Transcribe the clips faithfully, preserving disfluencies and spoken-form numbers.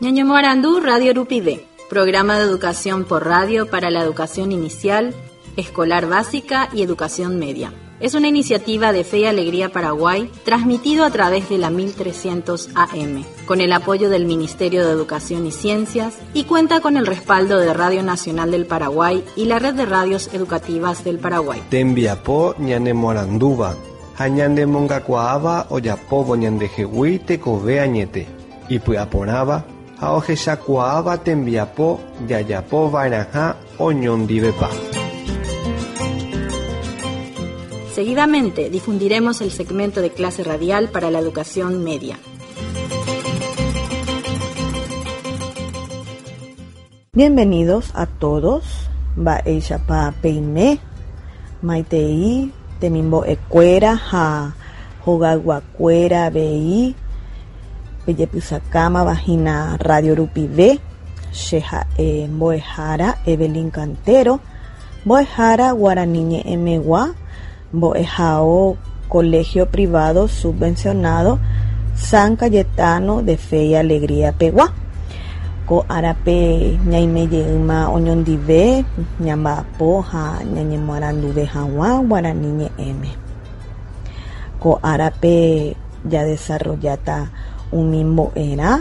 Ñañomoarandu Radio Rupive, programa de educación por radio para la educación inicial, escolar básica y educación media. Es una iniciativa de Fe y Alegría Paraguay, transmitido a través de la mil trescientos A M, con el apoyo del Ministerio de Educación y Ciencias, y cuenta con el respaldo de Radio Nacional del Paraguay y la Red de Radios Educativas del Paraguay. Tembiapo ñanemoarandúva, ha ñanemongakuaáva ojapóvo ñandehegui tekove añete, ipy'aporãva ha ohechakuaáva tembiapo jajapova'erãha oñondivepa. Seguidamente difundiremos el segmento de clase radial para la educación media. Bienvenidos a todos. Mba'éichapa peime, maitei, temimbo'ekuéra ha hogayguakuéra avei, pejepysakámava hína Radio Rupive, che ha'e mbo'ehára Evelyn Cantero, mbo'ehára Guarani ñe'ẽmegua, mbo'ehao Colegio Privado Subvencionado San Cayetano de Fe y Alegría pegua. Ko árape ñaimejeýma oñondive, ñamba'apo ha ñañemoaranduve hag̃ua Guarani ñe'ẽme. Ko árape jadesarrolláta umi mbo'erã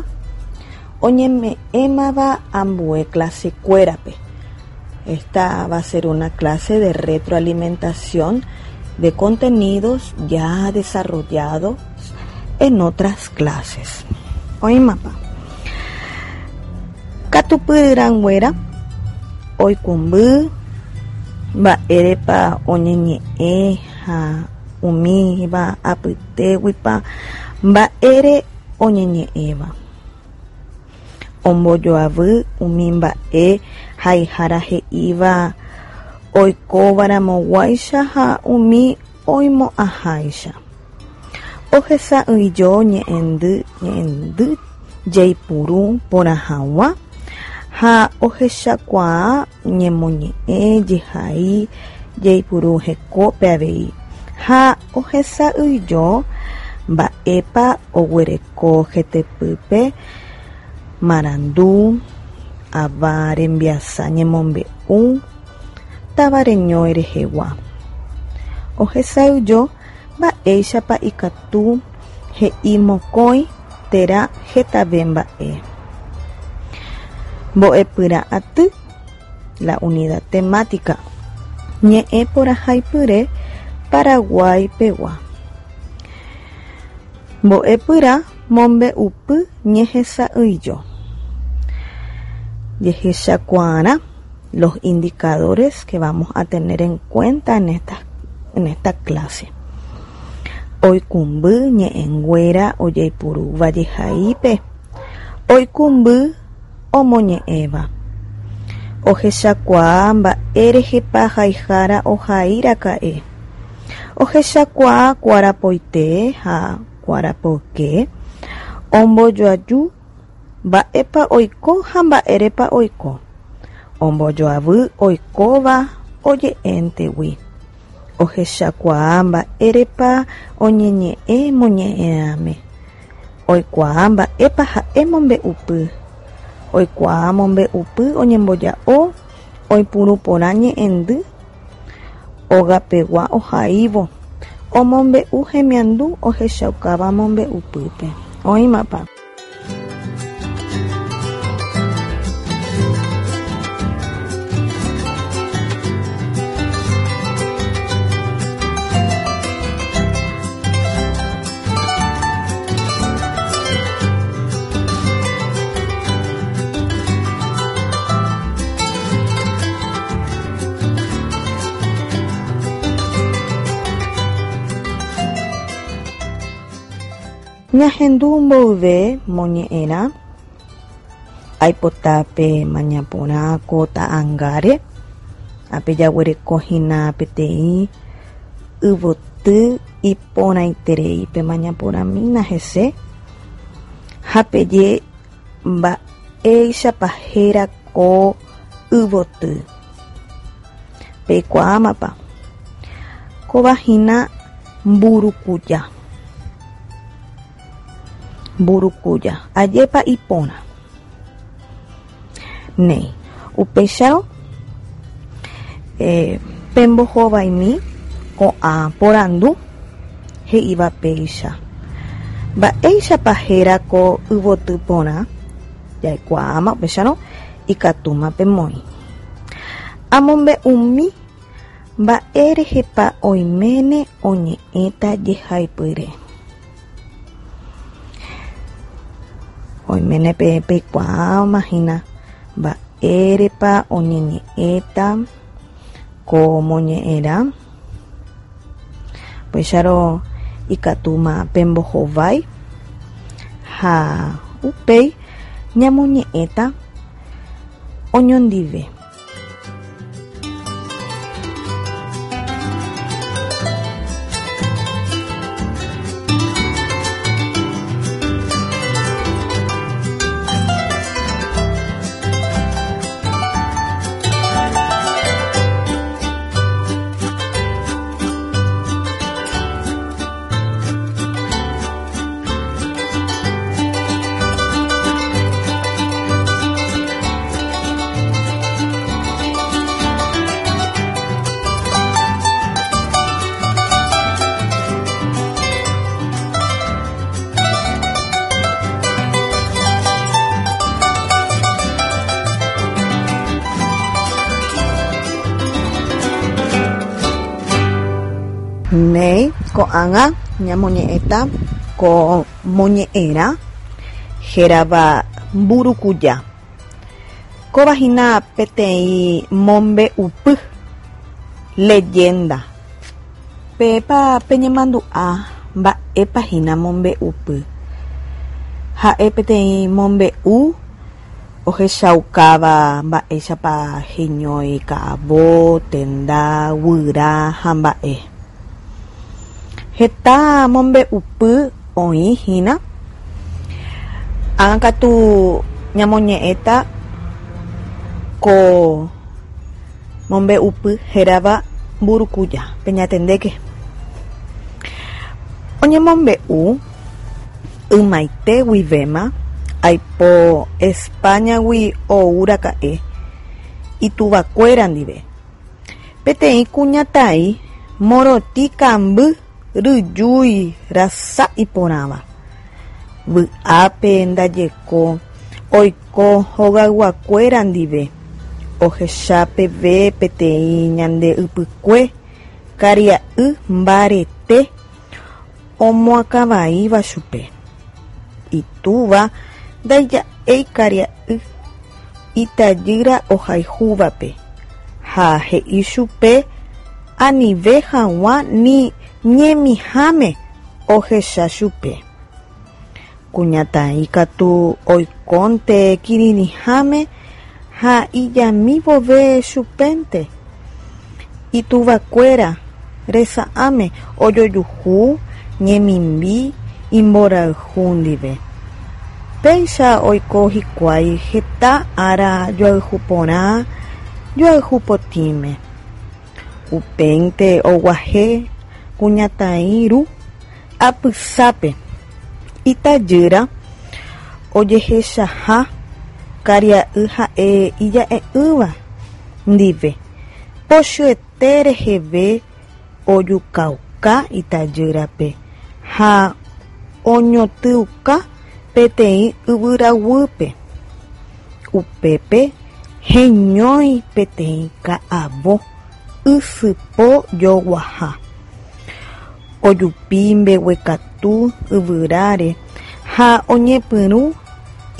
oñeme'ẽmava ambue clasekuérape. Esta va a ser una clase de retroalimentación de contenidos ya desarrollados en otras clases. Oĩmapa. Katupyrãnguéra oikũmby mba'érepa oñeñe'ẽ ha umíva apytéguipa mba'ére oñeñe'ẽva. Ombojoavy umi mba'e haihára he'íva oikovaramoguáicha ha umi oimo'ãháicha. Ohesa'ỹijo ñe'ẽndy, ñe'ẽndy jeipuru porã hag̃ua ha ohechakuaa ñemoñe'ẽ jehai jeipuru hekópe avei ha ohesa'ỹijo mba'épa oguereko hetepýpe marandu, ava rembiasa ñemombe'u, tavareñói rehegua. Ohesa'ỹijo mba'éichapa ikatu he'i mokõi térã hetave mba'e. Mbo'epyrã aty, la unidad temática, ñe'ẽ porãhaipyre Paraguay pegua. Mbo'epyrã mombe'upy ñehesa'ỹijo. Jehechakuaarã los indicadores que vamos a tener en cuenta en esta, en esta clase. Oikũmby ñe'ẽnguéra ojeipurúva jehaípe. Oikũmby omoñe'ẽva. Ohechakuaa mba'érehepa haihára ohairaka'e. Ohechakuaa kuarapoite ha kuarapoyke. Ombojoaju mba'épa oiko ha mba'érepa oiko. Ombojoavy oikóva oje'éntegui. Ohechakuaa mba'érepa oñeñe'ẽ moñe'ẽrãme. Oikuaa mba'épa ha'e mombe'upy. Oikuaa mombe'upy oñemboja'o oipuru porã ñe'ẽndy ogapegua ohaívo. Omombe'u hemiandu ohechaukáva mombe'upýpe. Oĩmapa. Ñahendu mboyve moñe'ẽrã aipotápe mañaporã ko ta'ãngáre ape jaguereko hína peteĩ yvoty iporãitereípe mañaporãmína hese ha peje mba'éichapa héra ko yvoty. Peikuaámapa. Kóva hína mburukuja. Mburukuja. Ajépa ipórã. Néi, upéicharõ eh, pembohovaimi ko'ã porandu he'íva péicha. Mba'éichapa héra ko yvoty porã jaikuaáma upéicharõ ikatúma pemoĩ. Amombe'umi mba'érehepa oiméne oñe'ẽta jehaipyre. Oiméne pe peikuaáma hína mba'érepa oñeñe'ẽta ko moñe'ẽrã. Upéicharõ ikatúma pembohovái ha upéi ñamoñe'ẽta oñondive. Néi ko'ág̃a ñamoñe'ẽta ko moñe'ẽrã hérava Mburukuja. Kóva hína peteĩ mombe'upy leyenda. Pépa peñemandu'a mba'épa hína mombe'upy. Ha'e peteĩ mombe'u ohechaukáva mba'éichapa heñói ka'avo, tenda, guyra ha mba'e. Heta mombe'upy oĩ hína. Ág̃akatu ñamoñe'ẽta ko mombe'upy hérava Mburukuja. Peñatendéke. Oñemombe'u ymaite guivéma aipo España-gui oúraka'e ituvakuéra ndive. Peteĩ kuñataĩ morotĩ kamby ryjúi rasa iporãva. Vy'ápe ndajeko oiko hogayguakuéra ndive ohecha peve peteĩ ñande ypykue karia'y mbarete omoakãvaíva chupe. Itúva ndaija'éi karia'y itajýra ohayhúvape ha he'i chupe anive hag̃ua ni ñemiháme ohecha chupe. Kuñataĩ katu oikónte kirirĩháme ha ijami vove chupénte. Ituvakuéra resa'ãme ojojuhu ñemimbi imborayhu ndive. Péicha oiko hikuái heta ára joayhu porã joayhu potĩme. Upéinte oguahẽ kuñataĩ ru apysápe itajýra ojehechaha karia'y ha'e ija'e'ỹva ndive pochyete reheve ojukauka itajýrape ha oñotỹuka peteĩ yvyraguýpe. Upépe heñói peteĩ ka'avo ysypo joguaha. Ojupi mbeguekatu yvyráre ha oñepyrũ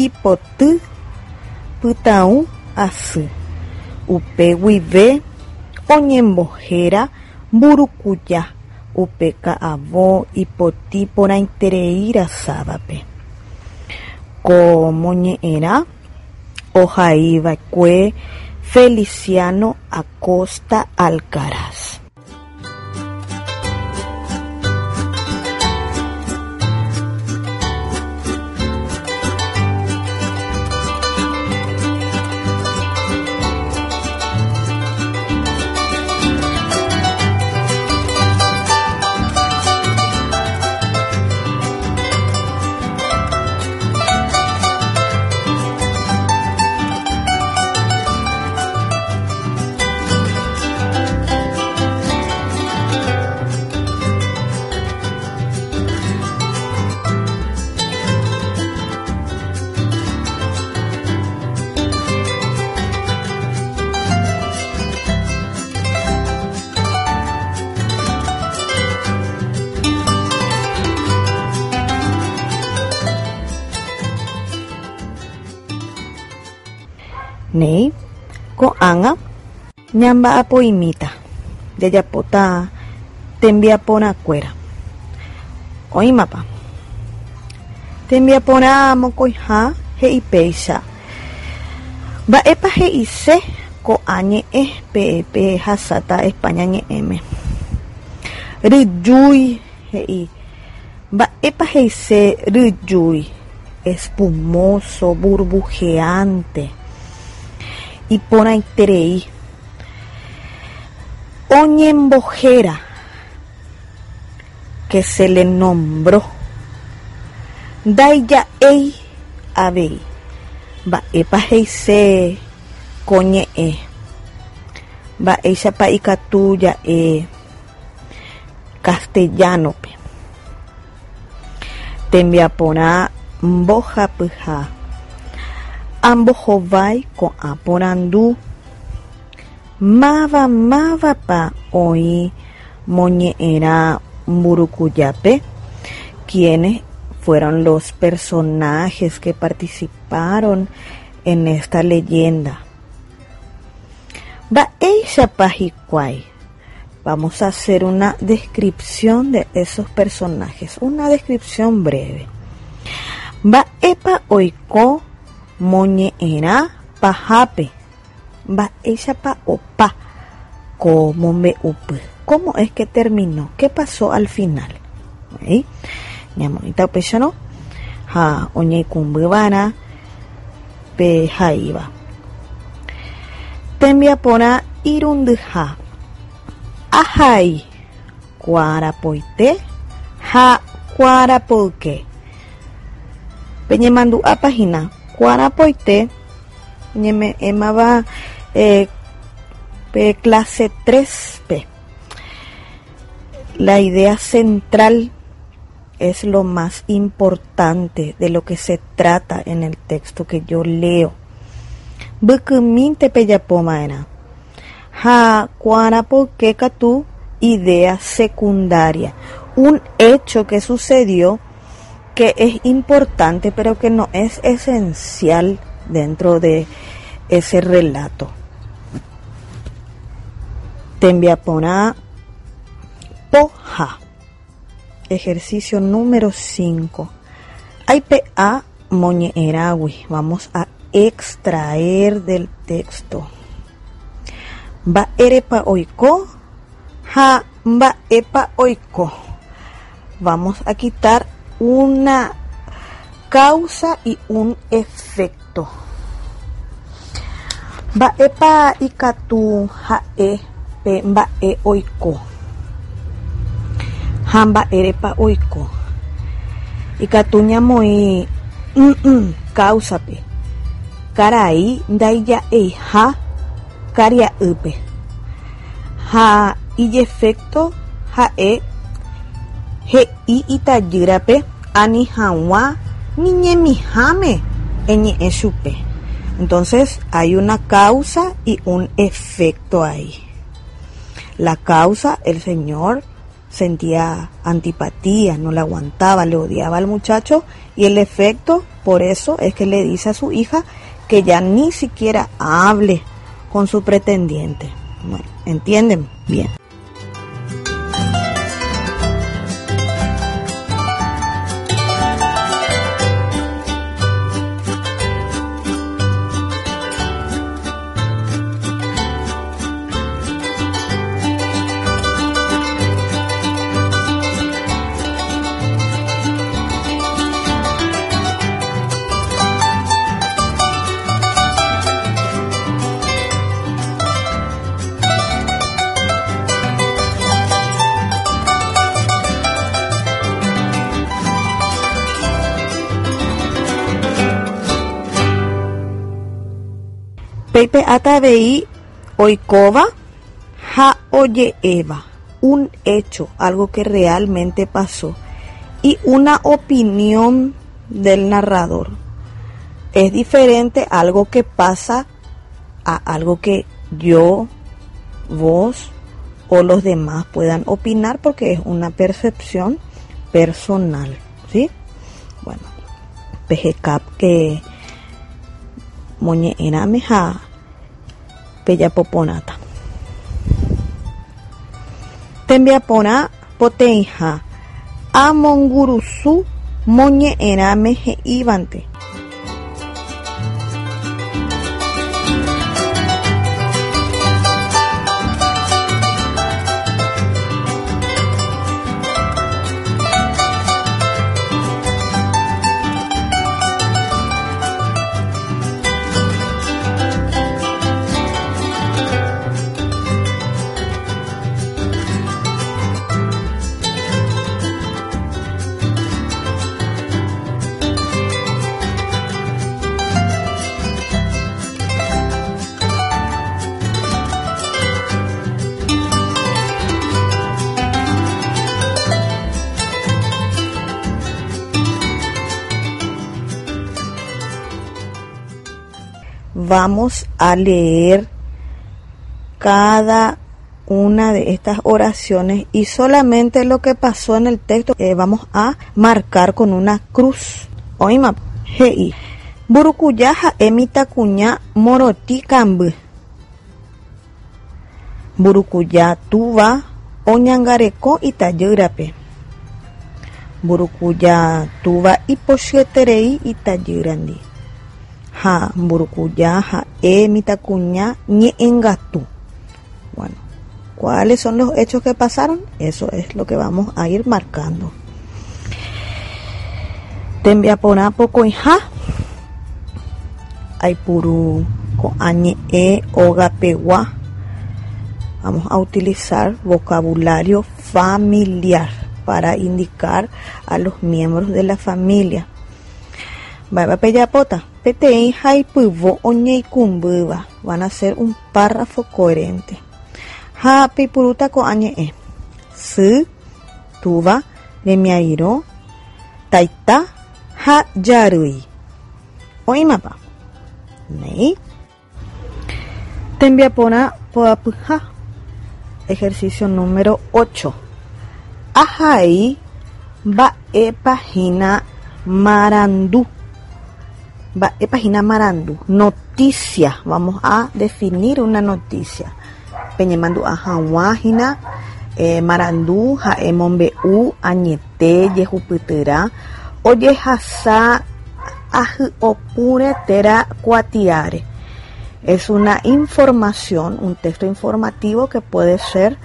ipoty pytãũ asy. Upe guive oñembohéra Mburukuja upe ka'avo ipotĩ porãiterei rasávape. Ko moñe'ẽrã ohaiva'ekue Feliciano Acosta Alcaraz. Néi ko'ág̃a ñamba'apo'imíta jajapóta tembiaporãkuéra. Oĩmapa. Tembiaporã mokõiha he'i péicha. Mba'épa he'ise ko'ã ñe'ẽ pe hasáta España ñe'ẽme. Ryjúi he'i. Mba'épa he'ise ryjúi. Espumoso, burbujeante. Iporãiterei. Oñembohéra que se le nombró. Ndaija'éi avei. Mba'épa he'ise ko ñe'ẽ. Mba'éichapa ikatu ja'e castellano-pe. Tembiaporã mbohapyha. Ambohovái ko'ã porandu. Máva mávapa oĩ moñe'ẽrã Mburukujápe. ¿Quiénes fueron los personajes que participaron en esta leyenda? Mba'éichapa hikuái. Vamos a hacer una descripción de esos personajes, una descripción breve. Mba'épa oiko moñe'ẽrã pahápe. Mba'éichapa opa ko mombe'upy. ¿Cómo es que terminó? ¿Qué pasó al final? ¿Ahí? Ñamoĩta upéicharõ ha oñeikũmbyva'erã pe haíva. Tembiaporã irundyha. Ahai kuarapoite ha kuarapoyke. Peñemandu'ápa hína kuarapoite ñeme'ẽmava eh, pe clase tres-pe. La idea central es lo más importante de lo que se trata en el texto que yo leo. Mbykymínte pejapova'erã. Ha kuarapoyke katu idea secundaria. Un hecho que sucedió que es importante pero que no es esencial dentro de ese relato. Tembiaporã poha. Ejercicio número cinco. Aipe'a moñe'ẽrãgui. Vamos a extraer del texto. Mba'érepa oiko ha mba'épa oiko. Vamos a quitar una causa y un efecto. Mba'épa ikatu ha'e pe mba'e oiko. Ha mba'érepa oiko. Ikatu ñamoĩ causa-pe. Karai ndaija'eiha karia'ýpe. Ha ijefecto ha'e he'i itajýrape ani hag̃ua ni ñemiháme eñe'ẽ chupe. Entonces hay una causa y un efecto ahí. La causa, el señor sentía antipatía, no le aguantaba, le odiaba al muchacho, y el efecto, por eso es que le dice a su hija que ya ni siquiera hable con su pretendiente. Bueno, ¿entienden? Bien. Peipe'áta avei oikóva ha oje'éva, un hecho, algo que realmente pasó, y una opinión del narrador. Es diferente algo que pasa a algo que yo, vos o los demás puedan opinar, porque es una percepción personal, ¿sí? Bueno, peheka que moñe'ẽrãme ha Pejapoporãta. Tembiaporã poteĩha amongurusu moñe'ẽrãme he'ívante. Vamos a leer cada una de estas oraciones y solamente lo que pasó en el texto eh, vamos a marcar con una cruz. Oĩma he'i Mburukuja ha'e mitãkuña morotĩ kamby. Mburukuja túva oñangareko itajýrape. Mburukuja túva ipochyeterei itajýrandi. Ha mburukuja ha'e mitãkuña ñe'ẽngatu. Bueno, ¿cuáles son los hechos que pasaron? Eso es lo que vamos a ir marcando. Tembiaporã pokõiha aipuru ko'ã ñe'ẽ ogapegua. Vamos a utilizar vocabulario familiar para indicar a los miembros de la familia. Mba'épa pejapóta peteĩ haipyvo oñeikũmbýva. Van a hacer un párrafo coherente. Ha peipurúta ko'ã ñe'ẽ. Sy, túva, remiarirõ, taita ha jarýi. Oĩmapa. Néi. Tembiaporã poapyha. Ejercicio número ocho. Ahai mba'épa hína marandu. Mba'épa hína marandu. Noticia. Vamos a definir una noticia. Peñemandu'a hag̃ua hína eh, marandu ha'e mombe'u añete jehupytyrã ojehasa ahy'opúre térã kuatiáre. Es una información, un texto informativo que puede ser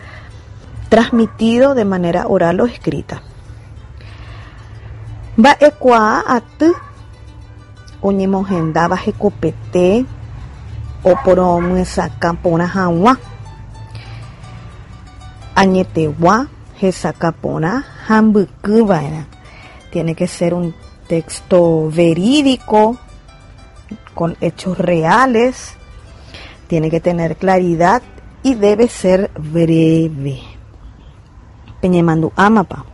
transmitido de manera oral o escrita. Mba'ekuaa aty oñemohendáva hekopete oporomyesakã porã hag̃ua. Añetegua hesakã porã ha mbykyva'erã. Tiene que ser un texto verídico, con hechos reales, tiene que tener claridad y debe ser breve. Peñemandu'ámapa.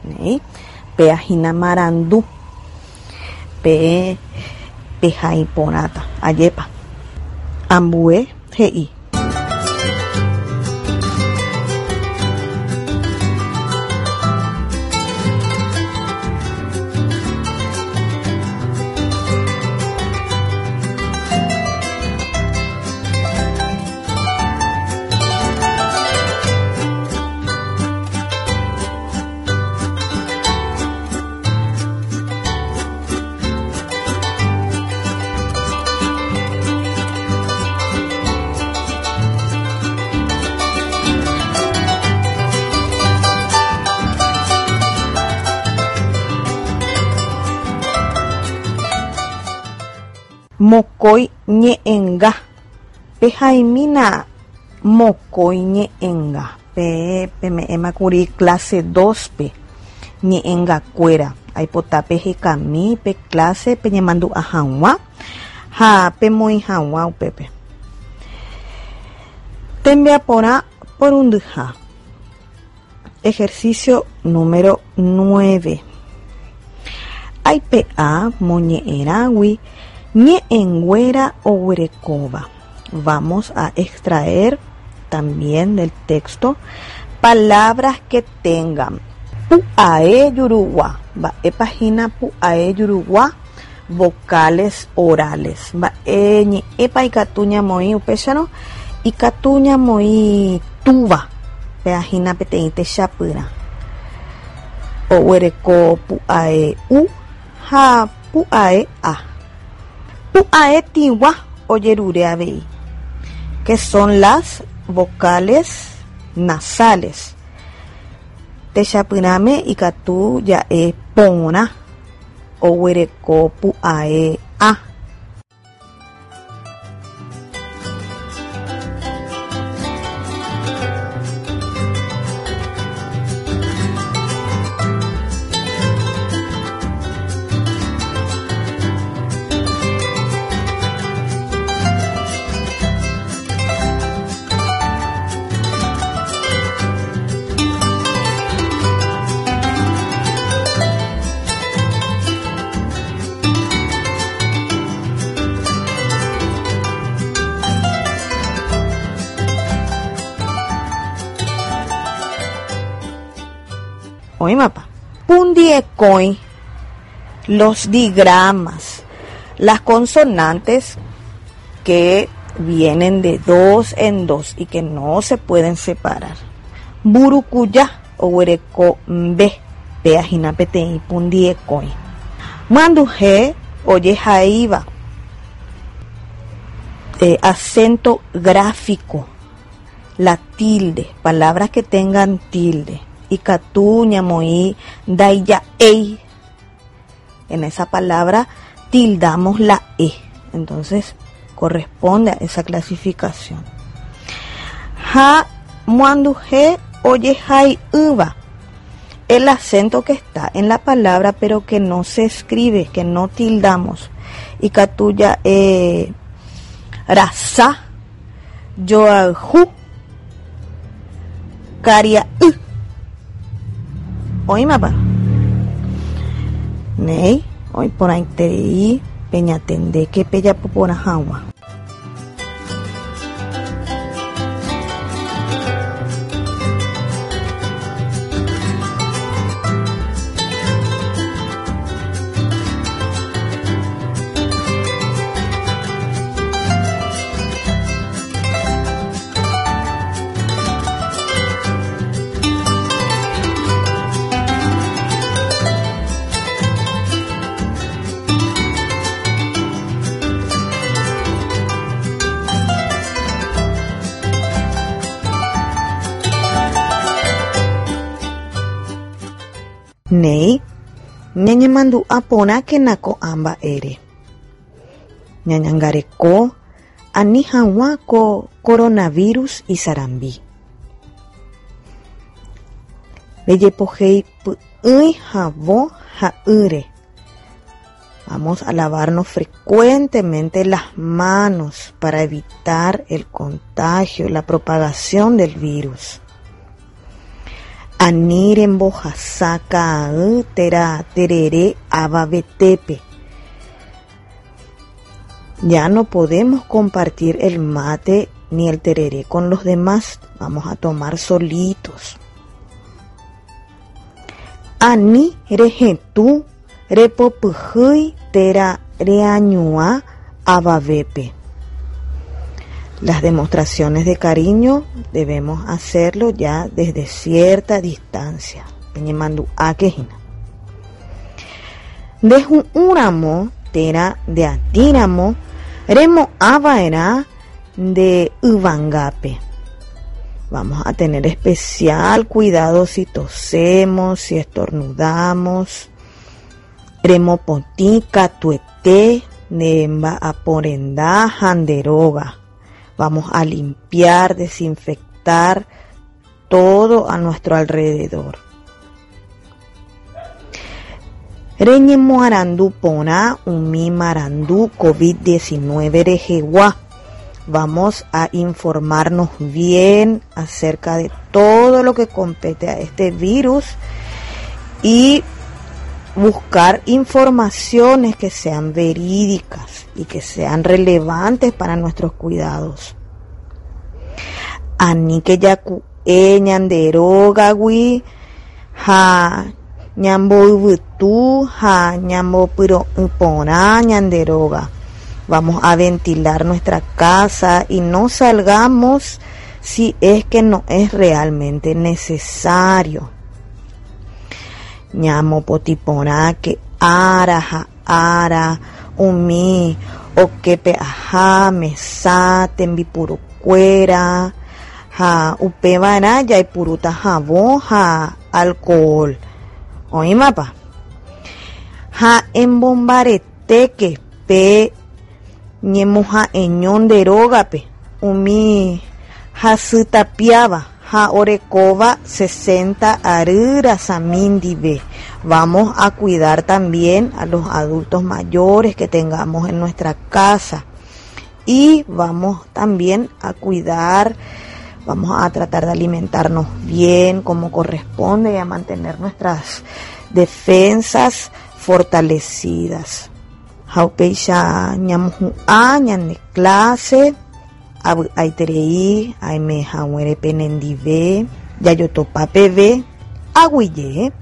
Néi. Péa hína marandu. Pe pehaiporãta. Ajépa. Ambue he'i. Mokõi ñe'ẽnga. Pehaimína mokõi ñe'ẽnga. Pe peme'ẽmakuri clase dos-pe ñe'ẽngakuéra. Aipota pehekami pe clase peñemandu'a hag̃ua ha pemoĩ hag̃ua upépe. Tembiaporã porundyha. Ejercicio número nueve. Aipe'a moñe'ẽrãgui ñe'ẽnguéra oguerekóva. Vamos a extraer también del texto palabras que tengan pu'ae jurugua. Mba'épa hína pu'ae jurugua? Vocales orales. Mba'e ñe'ẽpa ikatu ñamoĩ upéicharõ Ikatu ñamoĩ túva peahína peteĩ techapyrã. Oguereko pu'ae u ha pu'ae a. Pu'ae tĩgua ojerure avei, que son las vocales nasales. Techapyrãme ikatu ja'e porã oguereko pu'ae a. Oĩmapa. Pundiekõi, los digramas, las consonantes que vienen de dos en dos y que no se pueden separar. Mburukuja oguereko mbe, peahína peteĩ pundiekõi. Myanduhe ojehaíva eh, acento gráfico, la tilde, palabras que tengan tilde. Ikatu ñamoĩ ndaija'éi. En esa palabra tildamos la E. Entonces corresponde a esa clasificación. Ha muanduhe ojehai'ỹva. El acento que está en la palabra pero que no se escribe, que no tildamos. Ikatu ja'e rasa joayhu karia'y. Oĩmapa. Néi, oĩ porãiterei peñatendéke pejapo porã hag̃ua. Néi, ñañemandu'a porãkena ko'ã mba'ére. Ñañangareko ani hag̃ua ko coronavirus isarambi. Rejepohéi py'ỹi havõ ha ýre. Vamos a lavarnos frecuentemente las manos para evitar el contagio, la propagación del virus. Ani rembohasa ka'ay térã terere avavetépe. Ya no podemos compartir el mate ni el tereré con los demás. Vamos a tomar solitos. Ani rehetũ repopyhýi térã reañuã avavépe. Las demostraciones de cariño debemos hacerlo ya desde cierta distancia. Peñemandu'ákehína. Ndehu'ũramo térã ndeatĩramo remo'ãva'erã nde yvangápe. Vamos a tener especial cuidado si tosemos, si estornudamos. Remopotĩ katuete ne mba'aporenda ha nde róga. Vamos a limpiar, desinfectar todo a nuestro alrededor. Reñemoarandu porã umi marandu COVID diecinueve rehegua. Vamos a informarnos bien acerca de todo lo que compete a este virus y buscar informaciones que sean verídicas y que sean relevantes para nuestros cuidados. Aníke jaku'e ñande rógagui ha ñamboyvytu ha ñambopyro'y porã ñande róga. Vamos a ventilar nuestra casa y no salgamos si es que no es realmente necesario. Ñamopotĩ porãke ára ha ára umi okepe aja mesa tembipurukuéra ha upevarã jaipurúta havõ ha alcohol. Oĩmapa? Ha embombaretéke pe ñemoha'eño nde rógape umi hasytapiáva ha orekóva sesenta ary rasami ndive. Vamos a cuidar también a los adultos mayores que tengamos en nuestra casa y vamos también a cuidar, vamos a tratar de alimentarnos bien como corresponde y a mantener nuestras defensas fortalecidas. Ha upéicha ñamohu'ã ñane clase avy'aiterei aime haguére penendive jajotopa peve aguyje.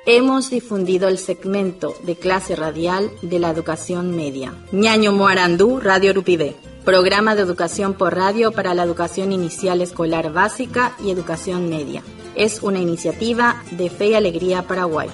Hemos difundido el segmento de clase radial de la educación media. Ñaño Moarandú, Radio Rupivé. Programa de educación por radio para la educación inicial escolar básica y educación media. Es una iniciativa de Fe y Alegría Paraguay.